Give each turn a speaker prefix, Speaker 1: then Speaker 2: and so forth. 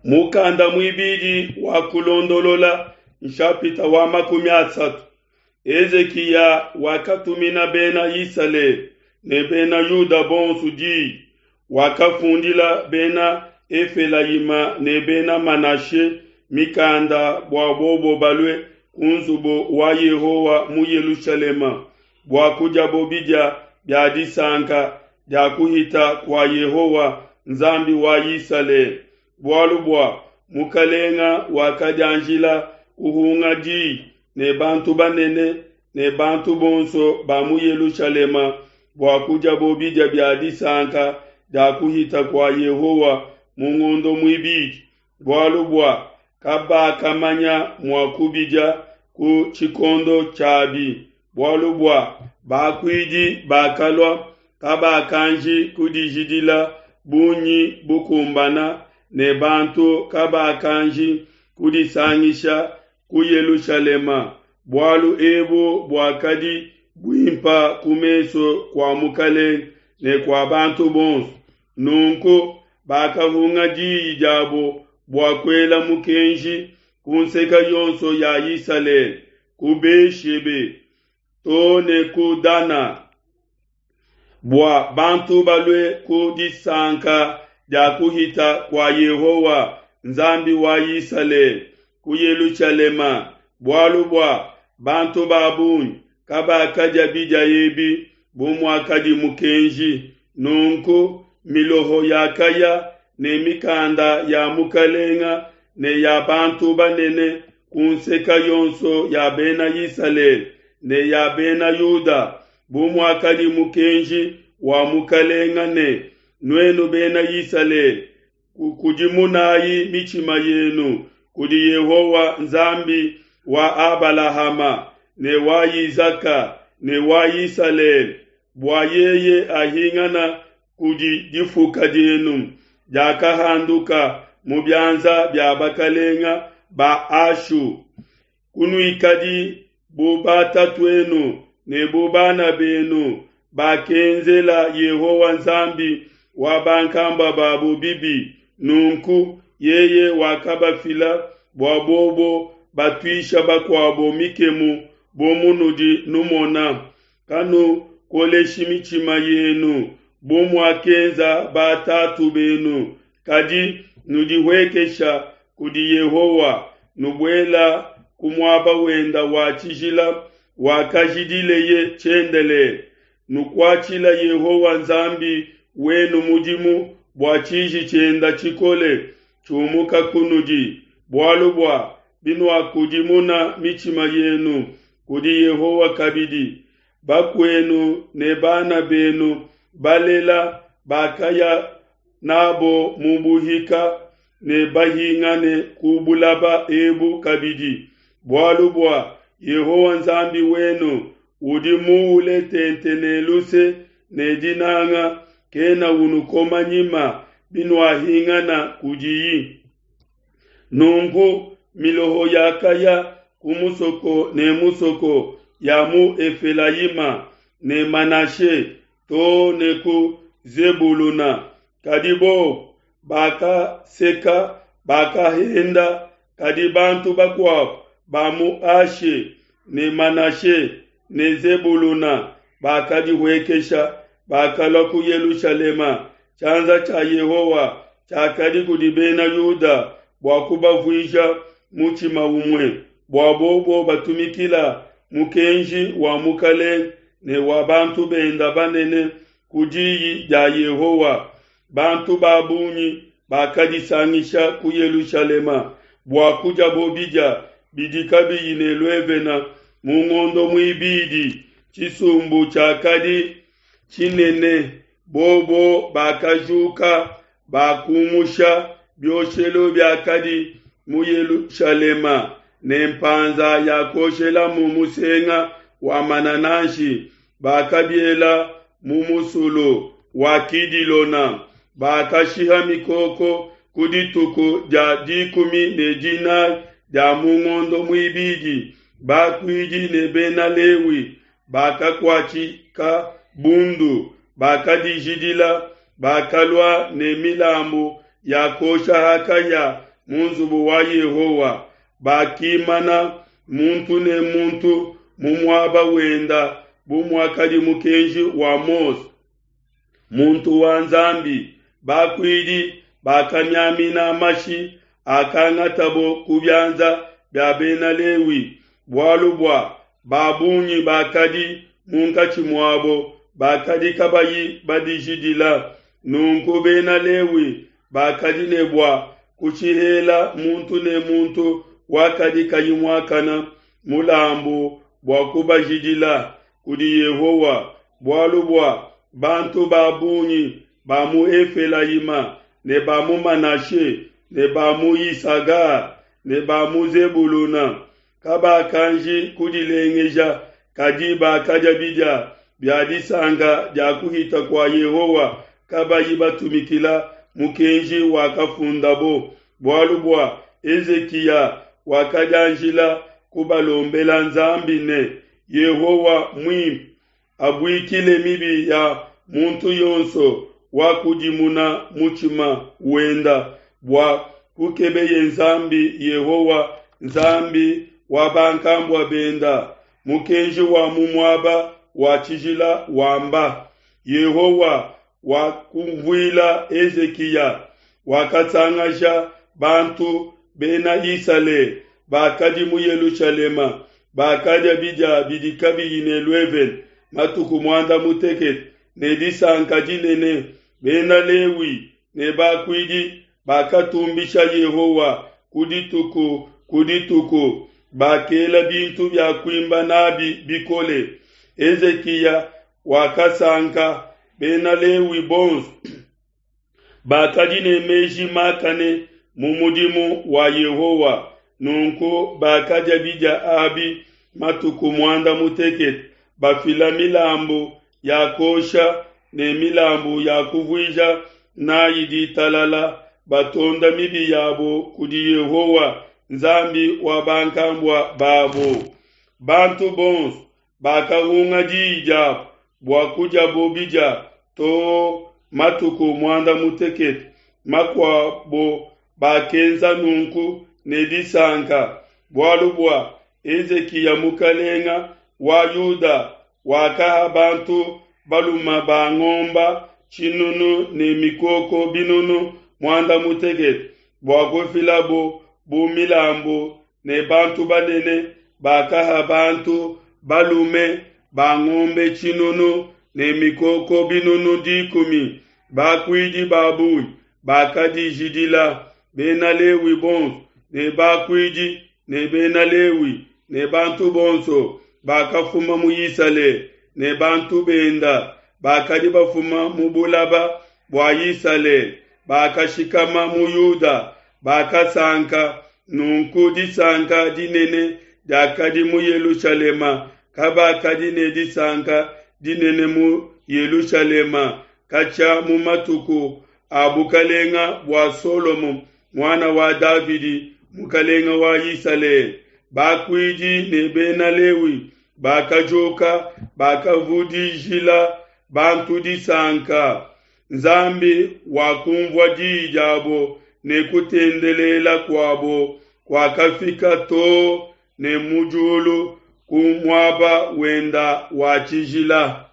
Speaker 1: Mukanda muibidi wa Kulondolola, nshapita wa 30. Hezikiya wakatumina bena Isalele ne bena Yuda bonso diyi, wakafundila bena Efelayima ne bena Manashe mikanda bua bobo balue ku nzubu wa Yehowa mu Yelushalema bua kudiabo bidia bia disanka dia kuhita kua Yehowa Nzambi wa Isalele, bualu bua mukalenga wakadianjila kuhunga di ne bantu banene ne bantu bonso ba mu Yelushalema bua kudiabo bidia bia disanka dia kuhita kua Yehowa mu ngondo muibidi, bualu bua kabakamanya mua kubidia ku tshikondo tshiabi, bualu bua bakuidi bakalua kabakanji kudijidila bungi bukumbana ne bantu kabakanji kudisangisha ku Yelushalema. Bualu ebu buakadi buimpa ku mesu kua mukalenge ne kua bantu bonso. Nunku bakahunga diyi diabo bua kuela mukenji ku nseka yonso ya Isalele, ku Be-shebe to ne ku Dana, bua bantu balue ku disanka dia kuhita kua Yehowa Nzambi wa Isalele ku Yelushalema, bualu bua bantu ba bungi kabakadia bidia ebi bu muakadi mukenji. Nunku miloho yakaya ne mikanda ya mukalenga ne ya bantu banene ku nseka yonso ya bena Isalele ne ya bena Yuda, bu muakadi mukenji wa mukalenga ne, Nuenu bena Isalele, kukudimunayi mitshima yenu kudi Yehowa Nzambi wa Abalahama ne wa Isaka ne wa Isalele, bua yeye ahingana kudi difuka dienu diakahanduka mu bianza bia bakalenga ba Ashu. Kunuikadi bu batatuenu ne bu bana benu bakenzela Yehowa Nzambi wa bankambua babo bibi, nunku yeye wakabafila bua bobo batuisha bakuabo mikemu bu munudi numona. Kanukoleshi mitshima yenu bu muakenza batatu benu, kadi nudihuekesha kudi Yehowa, nubuela ku muaba wenda wa tshijila wakajidileye tshiendelele. Nukuatshila Yehowa Nzambi wenu mudimu bua tshiji tshienda tshikole tshiumuka kunudi, bualu bua binuakudimuna mitshima yenu kudi Yehowa kabidi, bakuenu ne bana benu balela bakaya nabo mu buhika ne bahingane ku bulaba ebu kabidi, bualu bua Yehowa Nzambi wenu udi muule tente ne luse ne dinanga, kena unukoma nyima binuahingana kudiyi. Nunku miloho yakaya ku musoko ne musoko ya mu Efelayima ne Manashe to ne ku Zebuluna, kadi bobo bakaseka, bakahenda. Kadi bantu bakuabo ba mu Ashe ne Manashe ne Zebuluna bakadihuekesha, bakalua ku Yelushalema. Tshianza tshia Yehowa tshiakadi kudi bena Yuda bua kubavuija mutshima umue, bua bobo batumikila mukenji wa mukalenge ne wa bantu benda banene ku diyi dia Yehowa. Bantu ba bungi bakadisangisha ku Yelushalema bua kudiabo bidia bidi kabiyi ne luevena mu ngondo muibidi. Tshisumbu tshiakadi tshinene, bobo bakajuka bakumusha bioshelu biakadi mu Yelushalema ne mpanza ya kuoshelamu musenga wa manananshi, bakabiela mu musulu wa Kidilona. Bakashiha mikoko ku dituku dia 14 dia mu ngondo muibidi. Bakuidi ne bena Lewi bakakuatshika bundu, bakadijidila, bakalua ne milambu ya kuosha ha kahia. mu nzubu wa Yehowa, bakimana muntu ne muntu mu muaba wenda bu muakadi mukenji wa Mose, muntu wa Nzambi. Bakuidi bakamiamina mashi akangatabo ku bianza bia Bena Lewi, bualu bua ba bungi bakadi munkatshi muabo bakadi kabayi badijidila. Nunku Bena Lewi bakadi ne bua kushihela muntu ne muntu wakadi kayi muakana mulambu bua kubajidila kudi Yehowa, bualu bua bantu ba bungi ba mu Efelayima ne ba mu Manashe ne ba mu Yisaga ne ba mu Zebuluna kabakanji kudilengeja, kadi bakadia bidia bia disanka dia kuhita kua Yehowa kabayi batumikila mukenji wakafundabo, bualu bua Hezikiya wakadianjila kubalombela Nzambi ne, Yehowa muimpe, abuikile mibi ya muntu yonso wakudimuna mutshima wenda bua kukebeye Nzambi Yehowa, Nzambi wa bankambua benda. Mukenji wa mu muaba wa tshijila wamba, Yehowa wakumvuila Hezikiya, wakasangasha bantu bena Isalele bakadi mu Yelushalema, bakadia bidia bidi kabiyi ne luevene matuku muanda mutekete ne disanka dinene. Bena Lewi ne bakuidi bakatumbisha Yehowa ku dituku ku dituku, bakela bintu bia kuimba nabi bikole. Hezikiya wakasanka, Bena Lewi bonso bakadi ne meji makane mu mudimu wa Yehowa. Nunku bakadia bidia abi matuku muanda mutekete, bafila milambu ya kuosha ne milambu ya kuvuija nayi ditalala, batonda mibi yabo kudi Yehowa, Nzambi wa bankambua babo. Bantu bonso bakahunga diyi diabo bua kudiabo bidia too matuku muanda mutekete. Makuabo bakenza nunku ne disanka, bualu bua Hezikiya mukalenga wa Yuda wakaha bantu balume ba ngomba tshinunu ne mikoko binunu muanda mutekete bua kufilabo bu milambu, ne bantu banene bakaha bantu balume ba ngombe tshinunu ne mikoko binunu 10. Bakuidi ba bungi bakadijidila, Bena Lewi bonso ne bakuidi ne Bena Lewi ne bantu bonso bakafuma mu Isalele ne bantu benda bakadi bafuma mu bulaba bua Isalele bakashikama mu Yuda, bakasanka. Nunku disanka dinene diakadi mu Yelushalema, kabakadi ne disanka dinene mu Yelushalema katshia mu matuku a bukalenga bua Solomo muana wa Davidi mukalenga wa Isalele. Bakuidi ne Bena Lewi bakajuka, bakavudijila bantu disanka. Nzambi wakumvua diyi diabo ne kutendelela kuabo kuakafika too ne mu diulu ku muaba wenda wa tshijila.